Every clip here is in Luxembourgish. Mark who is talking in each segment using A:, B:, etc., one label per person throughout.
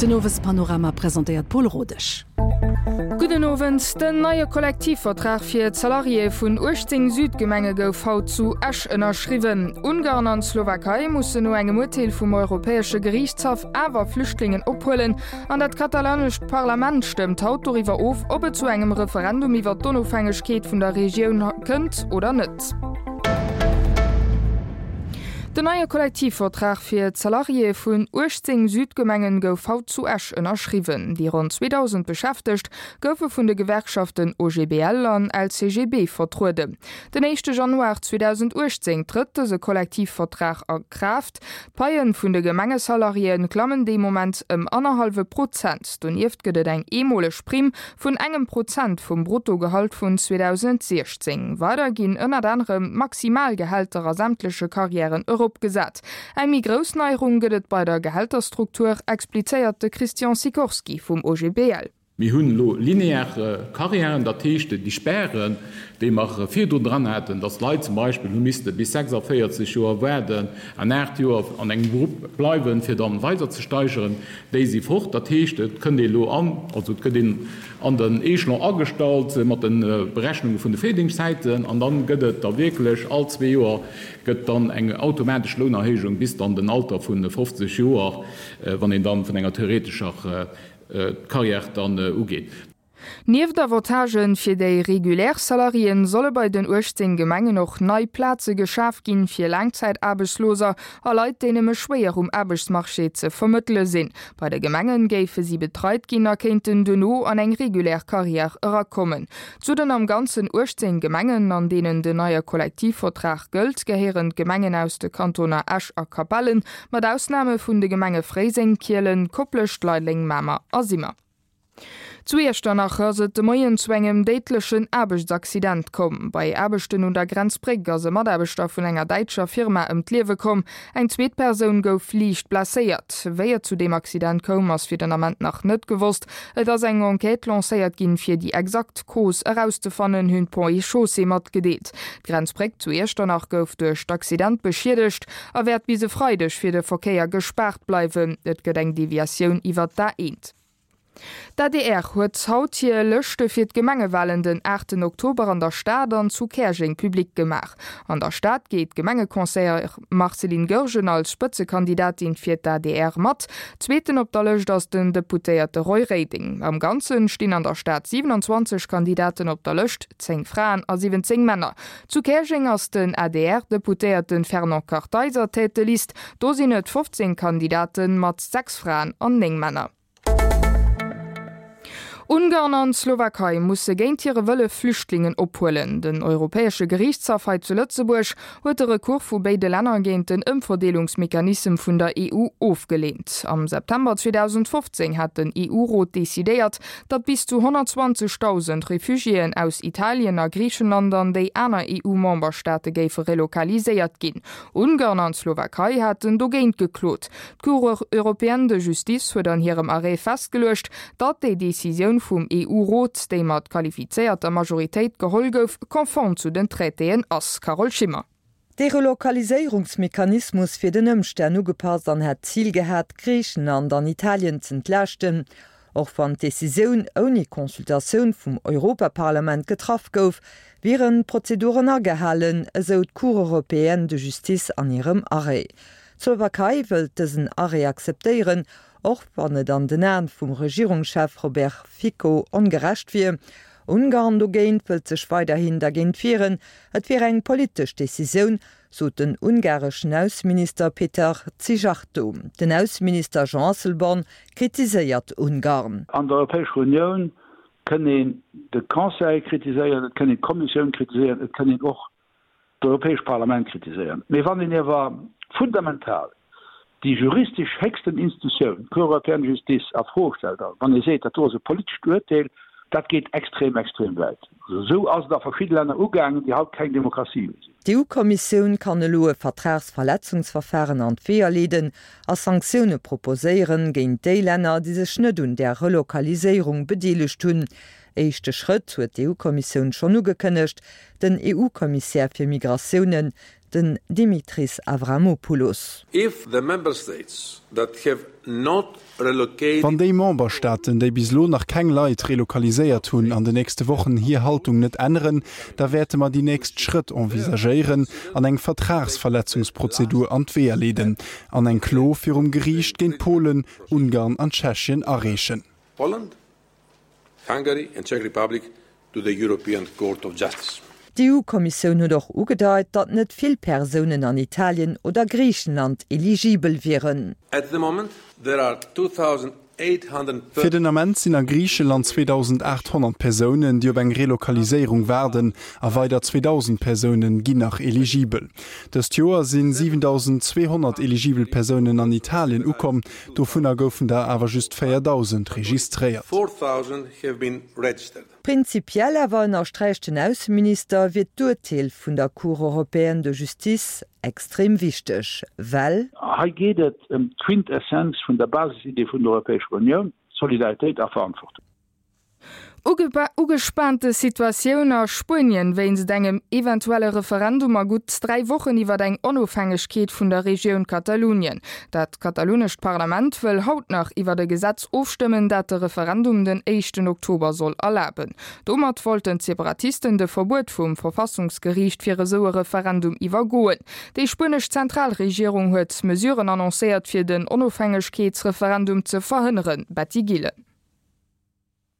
A: Den Owespanorama presentéiert d'Paule Rodesch.
B: Gudden Owend. Den neie Kollektivvertrag fir d'Salariéë vun 18 Südgemenge gouf haut zu Esch ënnerschriwwen. Ungarn an d'Slowakei mussen no engem Urteel vum Europäesche Geriichtshaff awer Flüchtlingen ophuelen. An dat katalanescht Parlament stëmmt haut doriwwer of, ob et zu engem Referendum iwwer d'Onofhängegkeet vun der Regioun kënnt oder net. Den neie Kollektivvertrag fir d'Salariéë vun 18 Südgemengen gouf haut zu Esch ënnerschriwwen. Déi ronn 2.000 Beschäftegt goufe vun de Gewerkschaften OGBL an LCGB vertrueden. Den éischte Januar 2018 trëtt dëse Kollektivvertrag a Kraaft. D'Paie vun de Gemengesalariéë klammen dee Moment ëm annerhallwe Prozent. Donieft gëtt et eng eemoleg Primm vun engem Prozent vum Bruttogehalt vun 2016. Weider ginn ënnert anerem d'Maximalgehälter a sämtleche Karriären eropgesat. Eng méi grouss Neierung gëtt et bei der Gehälterstruktur, explizéiert de Christian Sikorski vum OGBL.
C: Mir hunn elo linear Karriären, dat heescht déi Spären, déi mer virdrun dran haten, dass d'Leit zum Beispill hu misste bis 46 Joer waarden an 8 Joer an engem Grupp bleiwen, fir dann weider ze steigeren, Déi si fort. Dat heescht, et kënnt ee elo an, also et gëtt een an den Echelon agestallt mat de Berechnunge vun de Virdingschtszäiten an dann gëtt et da wierklech all zwee Joer gëtt dann eng automatesch Lounerhéijung bis dann den Alter vu 50 Joer, wann een dann vun enger theoretescher Carrière dann ugeet.
B: Nieft Avantagen fir déi regulär Salariéen, solle bei den 18 Gemengen och nei Plaze geschaf ginn, fir Laangzäitaarbechtsloser a Leit, déi nëmme schwéier um Aarbechtsmarché ze vermëttele sinn. Bei de Gemengen géife si betreit ginn a kéinten duerno an eng regulär Carrière erakommen. Zu den am Ganzen 18 Gemengen, an deenen den neie Kollektivvertrag gëllt, gehéieren d'Gemengen aus de Kantoner Esch a Capellen, mat Ausname vun de Gemenge Fréiseng, Kielen, Koplescht, Leideleng, Mamer a Simmer. Zu Iechternach ass et de Moien zu engem déidlechen Aarbechtsaccident komm. Bei Aarbechten un der Grenzbréck ass e Mataarbechter vun enger däitscher Firma ëm d'Liewe komm. Eng zweet Persoun gouf liicht blesséiert. Wéi et zu deem Accident koum, ass fir den Ament nach net gewosst. Et ass eng Enquête lancéiert ginn, fir déi exakt Cause erauszefannen, hunn d'Ponts et Chaussées matgedeelt. D'Grenzbréck zu Iechternach gouf duerch d'Accident beschiedegt a wäert bis e Freideg fir de Verkéier gespaart bleiwen. Et gëtt eng Deviatioun iwwer d'A1. D'adr huet haut hir Lëschte fir d'Gemengewalen den aachten Oktober an der Stad an zu Käerjeng public gemaach. An der Stad geet d'Gemengeconseillère Marceline Goergen als Spëtzekandidatin fir d'ADR mat. Zweeten op der Lëscht ass den Deputéierte Roy Reding. Am Ganze stinn an der Stad 27 Kandidaten op der Lëscht, 10 Fraen a 17 Männer. Zu Käerjeng ass den ADR-Deputéierte Fernand Kartheiser Tête de liste. Do sinn et 15 Kandidaten mat 6 Fraen an 9 Männer. Ungarn an d'Slowakei musse géint hire Wëlle Flüchtlingen ophuelen. Den Europäesche Geriichtshaff hei zu Lëtzebuerg huet de Recours vu béide Länner géint den Ëmverdeelungsmechanissem vun der EU ofgeleent. Am September 2015 hat den EU-Rot decidéiert, datt bis zu 120.000 Refugiéen aus Italien a Griichenland an déi aner EU-Memberstaate géife relokaliséiert ginn. Ungarn an d'Slowakei haten dogéint geklot. D'Cour européenne de justice huet an hirem Arrêt festgeluecht, datt déi Decisioun vum EU-Rot, déi mat qualifizéierter Majoritéit geholl gouf, konform zu den Traitéen ass. Carole Schimmer.
D: Dee Relokaliséierungsmechanismus wier den Ëmstänn ugepasst an hätt d'Zil gehat, Griichenland an Italien z'entlaaschten. Och wann d'Decisioun ouni Consultatioun vum Europaparlament getraff gouf, wieren d'Prozeduren agehalen, esou d'Cour européenne de justice an hirem Arrêt. D'Slowakei wëllt dësen Arrêt akzeptéieren, och wann et an den Aen vum Regierungschef Robert Fico ongerecht wier. Ungarn dogéint wëllt sech weiderhin dergéint wieren. Et wier eng politesch Decisioun, sot den ungareschen Ausseminister Péter Szijjártó. Den Ausseminister Jean Asselborn kritiséiert Ungarn.
E: An der Europäescher Unioun kënn een de Conseil kritiséieren, et kënn een d'Kommissioun kritiséieren, et kënn een och d'Europäescht Parlament kritiséieren. Mee wann een iewer fundamental déi juristesch héchsten Institutioun, d'Cour européenne de justice, a Fro stellt, a wann ee seet, dat do ass e politescht Uerteel, dat geet extrem, extrem wäit. Esou ass et a verschidde Länner ugaangen, déi haut keng Demokratie méi sinn.
D: D'EU-Kommissioun kann elo e Vertragsverletzungsverfahren an d'Weeër leeden a Sanktioune proposéieren géint déi Länner, déi sech net un där Relokaliséierung bedeelegt hunn. Éischte Schrëtt huet d'EU-Kommissioun schonn ugekënnegt. Den EU-Kommissär fir Migratiounen. Den Dimitris Avramopoulos.
F: If the Member States that have not relocated.
G: Wann déi Memberstaaten, déi bis elo nach keng Leit relokaliséiert hunn, an de nächste Wochen hir Haltung net änneren, da wäerte mer déi nächst Schrëtt envisagéieren an eng Vertragsverletzungsprozedur an d'Weeër leeden an eng Klo virum Geriicht géint Polen, Ungarn an Tschechien areechen.
F: Poland, Hungary and Czech Republic to the European Court of Justice.
D: D'EU-Kommissioun huet och ugedeit, datt net vill Persounen an Italien oder Griichenland eligibel wieren.
F: At the moment there are 2,830.
G: Fir den Ament sinn a Griicheland 2.800 Persounen, déi op eng Relokaliséierung waarden, a weider 2.000 Persounen ginn nach eligibel. Dëst Joer sinn 7.200 eligibel Persounen an Italien ukomm, dovunner goufen der awer just 4.000 registréiert.
F: 4,000 have been registered.
D: Prinzipiell awer, ënnersträicht den Ausseminister, wier d'Urteel vun der Cour européenne de justice extrem wichteg, well.
E: Hei geet et ëm d'Quintessenz vun der Basisidee vun der Europäescher Unioun, Solidaritéit a Verantwortung.
B: Ugespaante Situatioun a Spuenien wéinst engem eventuelle Referendum a gutt 3 Wochen iwwer eng Onofhängegkeet vun der Regioun Katalunien. Dat katalunescht Parlament wëll haut nach iwwer e Gesetz ofstëmmen, dat de Referendum den éischten Oktober soll erlaben. Domat wollten d'Separatisten de Verbuet vum Verfassungsgeriicht fir esou e Referendum iwwergoen. Déi spuenesch Zentralregierung huet Mesuren annoncéiert fir den Onofhängegkeetsreferendum ze verhënneren. Betty Gillen.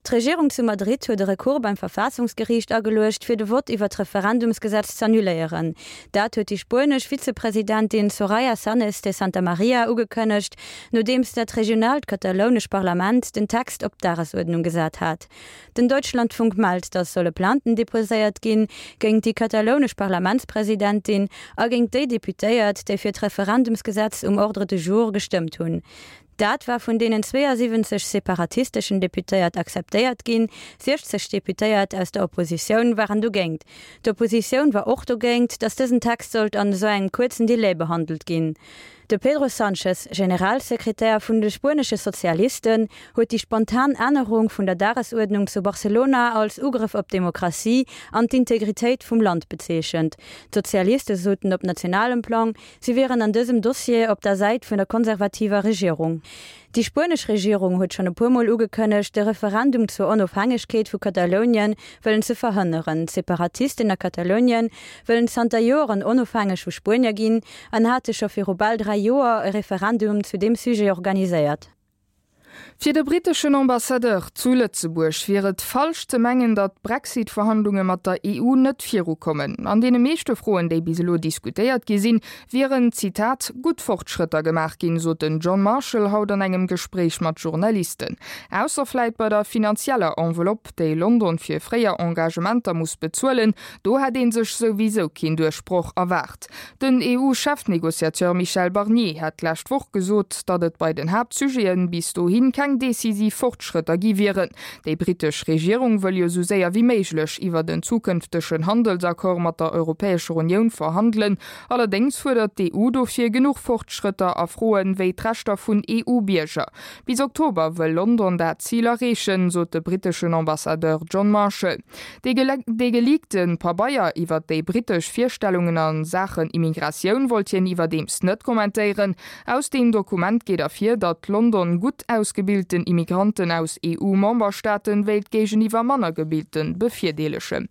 H: D'Regierung zu Madrid huet e Recours beim Verfaassungsgeriicht ageluecht, fir de Vott iwwer d'Referendumsgesetz z'annuléieren. Dat huet déi spuenesch Vizepresidentin Soraya Sáenz de Santamaría ugekënnegt, nodeems dat regionaalt katalounesch Parlament den Text op d'Dagesuerdnung gesat hat. Den Deutschlandfunk mellt, datt solle Plainten deposéiert ginn, géingt déi katalounesch Parlamentspresidentin a géingt déi Deputéiert, déi fir d'Referendumsgesetz um Ordre du jour gestëmmt hunn. Dat war vun deenen 72 separatisteschen Deputéiert akzeptéiert ginn, 60 Deputéiert aus der Oppositioun waren dogéint. D'Oppositioun war och dogéint, datt dësen Text sollt an esou engem kuerzen Delai behandelt ginn. De Pedro Sanchez, Generalsekretär vun de spuenesche Sozialisten, huet déi spontan Ännerung vun der Dagesuerdnung zu Barcelona als Ugrëff op d'Demokratie an d'Integritéit vum Land bezeechent. D'Sozialiste soten op nationalem Plang, Si wieren an dësem Dossier op der Säit vun der konservativer Regierung. Déi spuenesch Regierung huet schonn e puer Mol ugekënnegt, de Referendum zur Onofhängegkeet vu Katalounien wëllen ze verhënneren. D'Separatisten a Katalounien wëllen zanter Joeren onofhängeg vu Spuenier ginn an hate scho viru bal 3 Joer e Referendum zu deem Sujet organiséiert.
B: Fir de britteschen Ambassadeur zu Lëtzebuerg wier et falsch ze mengen, datt d'Brexit-Verhandlunge mat der EU net virukommen. An deene meeschte Froen, déi bis elo diskutéiert gi sinn, wieren, Zitat, gutt Fortschrëtter gemaach ginn, sot den John Marshall haut an engem Gespréich mat Journalisten. Ausser vläit bei der finanzieller Enveloppe, déi London fir fréier Engagementer muss bezuelen, do hätt ee sech souwisou keen Duerchbroch erwaart. Den EU-Chefnegociateur Michel Barnier hat d'lescht Woch gesot, datt et bei den Haaptsujete bis dohi keng decisiv Fortschrëtter gi wieren. Déi brittesch Regierung wëll jo sou séier wéi méiglech iwwert en zukënftegen Handelsaccord mat der Europäescher Unioun verhandelen. Allerdéngs fuerdert d'EU dofir genuch Fortschrëtter a Froe wéi d'Rechter vun EU-Bierger. Bis Oktober wëll London dat Zil erreechen, sot de britteschen Ambassadeur John Marshall. Dee geleakte Pabeier iwwer déi brittesch Virstellungen a Saachen Immigratioun wollt hien iwwerdeems net kommentéieren. Aus deem Dokument geet ervir, datt London gutt ausgebilten Immigranten aus EU-Memberstaaten wéilt géigeniwwer manner gebilten bevirdeelegen.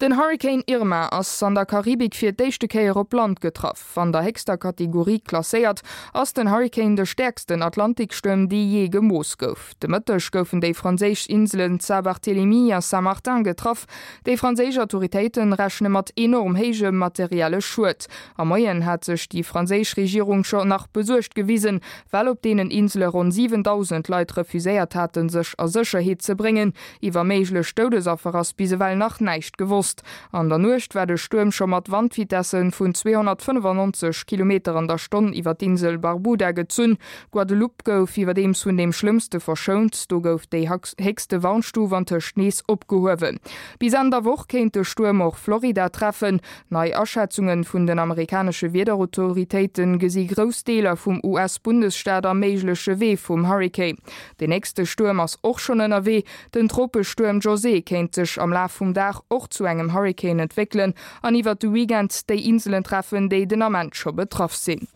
B: Den Hurrikan Irma ass an der Karibik fir d'éischte Kéier op Land getraff. An der héchster Kategorie klasséiert, ass den Hurrikan de stäerksten Atlantikstuerm, dee jee gemooss gouf. De Mëtteg goufen déi franséisch Inselen Saint-Barthélemy a Saint-Martin getraff. Déi franséisch Autoritéite rechne mat enorm héijem materielle Schued. Am Moien hat sech déi franséisch Regierung scho nach besuergt gewisen, well op deenen Insele ronn 7.000 Leit refuséiert haten, sech a Sécherheet ze bréngen. Iwwer méiglech Doudesaffer ass bis ewell nach näischt gewosst. An der Nuecht war de Stuerm scho mat Wandvitesse vun 295 Kilometer an der Stonn iwwer d'Insel Barbuda gezunn. Guadeloupe gouf iwwerdeems vun deem Schlëmmste verschount, do gouf déi héchste Warnstuf antëscht nees opgehuewen. Bis Enn der Woch kéint de Stuerm och Florida treffen. Nei Aschätzunge vun den amerikanesche Wiederautoritéite gesi grouss Deeler vum US-Bundesstaat am méigleche Wee vum Hurrikan. Den nächste Stuerm ass och schonn ënnerwee, den Tropestuerm José kéint sech am Laf vum Dag och. och zu engem Hurrikan entwéckelen an iwwert de Weekend déi Inselen treffen, déi den Ament scho betraff sinn.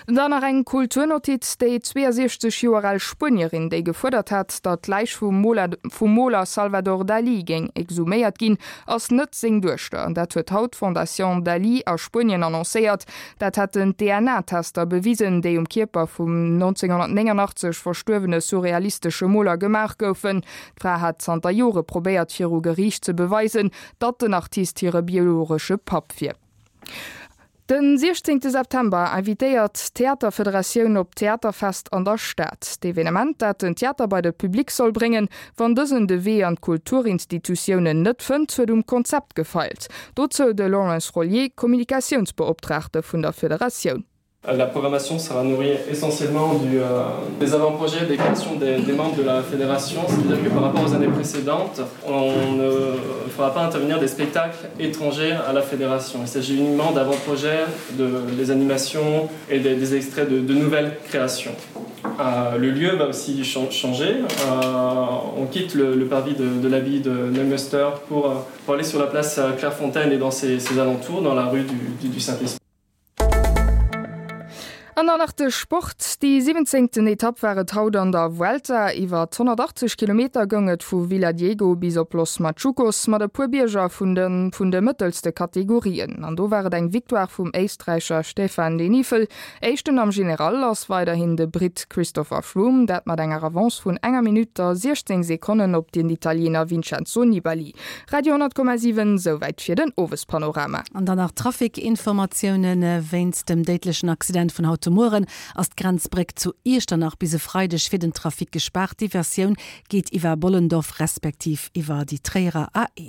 B: Dann nach eng Kulturnotiz, Déi 62 Joer al Spuenierin, déi gefuerdert hat, datt d'Läich vum Moler Salvador Dalí géing exhuméiert ginn, ass net seng Duechter. Dat huet haut d'Fondation Dalí a Spuenien annoncéiert. Dat hätten d'DNA-Tester bewisen, déi um Kierper vum 1989 verstuerwene surrealistesche Moler gemaach goufen. D'Fra hat zanter Jore probéiert viru Geriicht ze beweisen, datt den Artist hire biologesche Papp wier. Den 16 September invitéiert d'Theaterfederatioun op d'Theaterfest an der Stad. D'Evenement, dat den Theater bei de Public soll bréngen, wann dësen de Wee an d'Kulturinstitutiounen net fënnt, huet um Konzept gefeilt. Dozou de Lawrence Rollier, Kommunikatiounsbeoptraagte vun der Federatioun.
I: La programmation sera nourrie essentiellement du, euh, des avant-projets des créations des, des membres de la fédération, c'est-à-dire que par rapport aux années précédentes, on ne fera pas intervenir des spectacles étrangers à la fédération. Il s'agit uniquement d'avant-projets, de, des animations et des, des extraits de, de nouvelles créations. Euh, le lieu va aussi changer. Euh, on quitte le, le parvis de, de l'abbaye de Neumünster pour, euh, pour aller sur la place euh, Clairefontaine et dans ses, ses alentours, dans la rue du, du, du Saint-Esprit.
B: An dann nach de Sport, Déi siwwenzéngten Etapp war et haut an der Vuelta. Iwwer 180 Kilometer goung et vu Villadiego bis op Los Machucos mat e puer Bierger vun de vun de mëttelste Kategorien. An do war et eng Victoire vum Éisträicher Stefan Denifl. Éischten am General ass weiderhin de Britt Christopher Froome, dat mat enger Avance vun enger Minutt a 16 Sekonnen op den Italiener Vincenzo Nibali. Radio 10,7, Souwäit fir den Owespanorama.
A: An dann nach Trafic-Informatiounen, Wéinst dem déidlechen Accident vun haut de Mueren ass d'Grenzbréck zu Iechternach bis e Freideg fir den Trafic gespaart. D'Diversioun geet iwwer Bollendorf respektiv iwwer déi Tréierer A1.